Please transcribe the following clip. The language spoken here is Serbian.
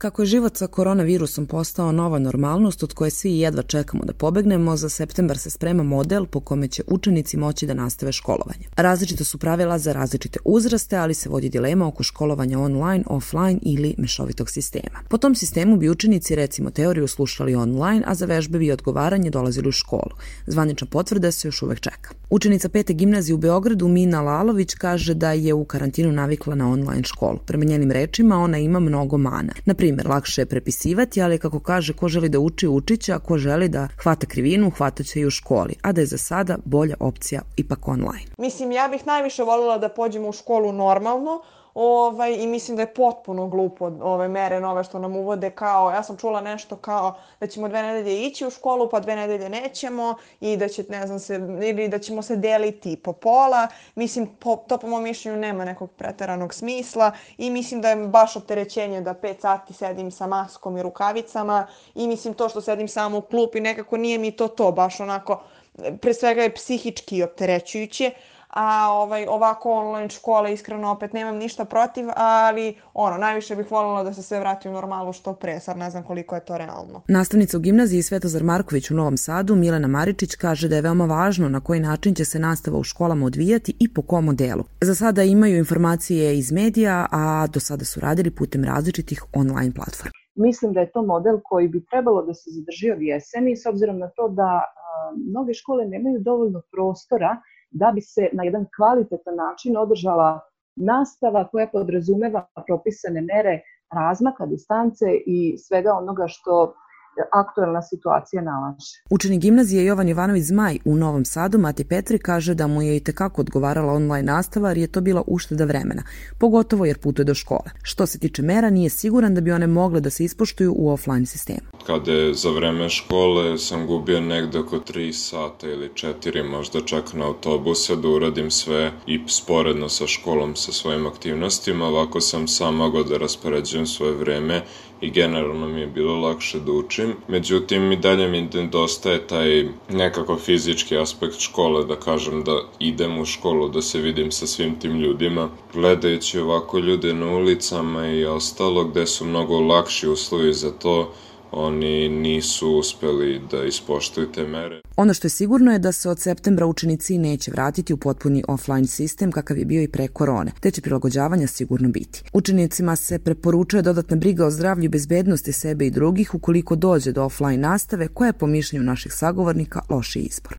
Kako je život sa koronavirusom postao nova normalnost od koje svi jedva čekamo da pobegnemo, za septembar se sprema model po kome će učenici moći da nastave školovanje. Različita su pravila za različite uzraste, ali se vodi dilema oko školovanja online, offline ili mešovitog sistema. Po tom sistemu bi učenici recimo teoriju slušali online, a za vežbe bi odgovaranje dolazili u školu. Zvanična potvrda se još uvek čeka. Učenica 5. gimnazije u Beogradu Mina Lalović kaže da je u karantinu navikla na online školu. Prema njenim rečima ona ima mnogo mana. Na primjer, lakše je prepisivati, ali kako kaže, ko želi da uči, učiće, a ko želi da hvata krivinu, hvataće i u školi, a da je za sada bolja opcija ipak online. Mislim, ja bih najviše voljela da pođemo u školu normalno, i mislim da je potpuno glupo ove mere nove što nam uvode, kao, ja sam čula nešto kao da ćemo 2 nedelje ići u školu, pa 2 nedelje nećemo i da će, ne znam, ili da ćemo se deliti po pola. Mislim, to po mom mišljenju nema nekog preteranog smisla i mislim da je baš opterećenje da 5 sati sedim sa maskom i rukavicama i mislim to što sedim samo u klupi nekako nije mi to baš onako, pre svega je psihički opterećujuće. A ovako online škola, iskreno opet nemam ništa protiv, ali najviše bih voljela da se sve vrati u normalu što pre, sad ne znam koliko je to realno. Nastavnica u gimnaziji Svetozar Marković u Novom Sadu, Milena Maričić, kaže da je veoma važno na koji način će se nastava u školama odvijati i po kom modelu. Za sada imaju informacije iz medija, a do sada su radili putem različitih online platformi. Mislim da je to model koji bi trebalo da se zadrži od jeseni, s obzirom na to da mnoge škole nemaju dovoljno prostora da bi se na jedan kvalitetan način održala nastava koja podrazumeva propisane mere razmaka, distance i svega onoga što aktuelna situacija nalaže. Učenik gimnazije Jovan Jovanović Zmaj u Novom Sadu, Mati Petri, kaže da mu je itekako odgovarala online nastava jer je to bila ušteda vremena, pogotovo jer putuje do škole. Što se tiče mera, nije siguran da bi one mogle da se ispoštuju u offline sistemu. Kada je za vreme škole sam gubio negde oko 3 sata ili 4 možda čak na autobuse da uradim sve i sporedno sa školom sa svojim aktivnostima. Ovako sam sam mogao da raspoređujem svoje vreme i generalno mi je bilo lakše da učim. Međutim, i dalje mi nedostaje taj nekako fizički aspekt škole, da kažem da idem u školu, da se vidim sa svim tim ljudima. Gledajući ovako ljude na ulicama i ostalo gde su mnogo lakši uslovi za to, oni nisu uspeli da ispoštuju te mere. Ono što je sigurno je da se od septembra učenici neće vratiti u potpuni offline sistem kakav je bio i pre korone, te će prilagođavanja sigurno biti. Učenicima se preporučuje dodatna briga o zdravlju i bezbednosti sebe i drugih ukoliko dođe do offline nastave, koja je po mišljenju naših sagovornika loši izbor.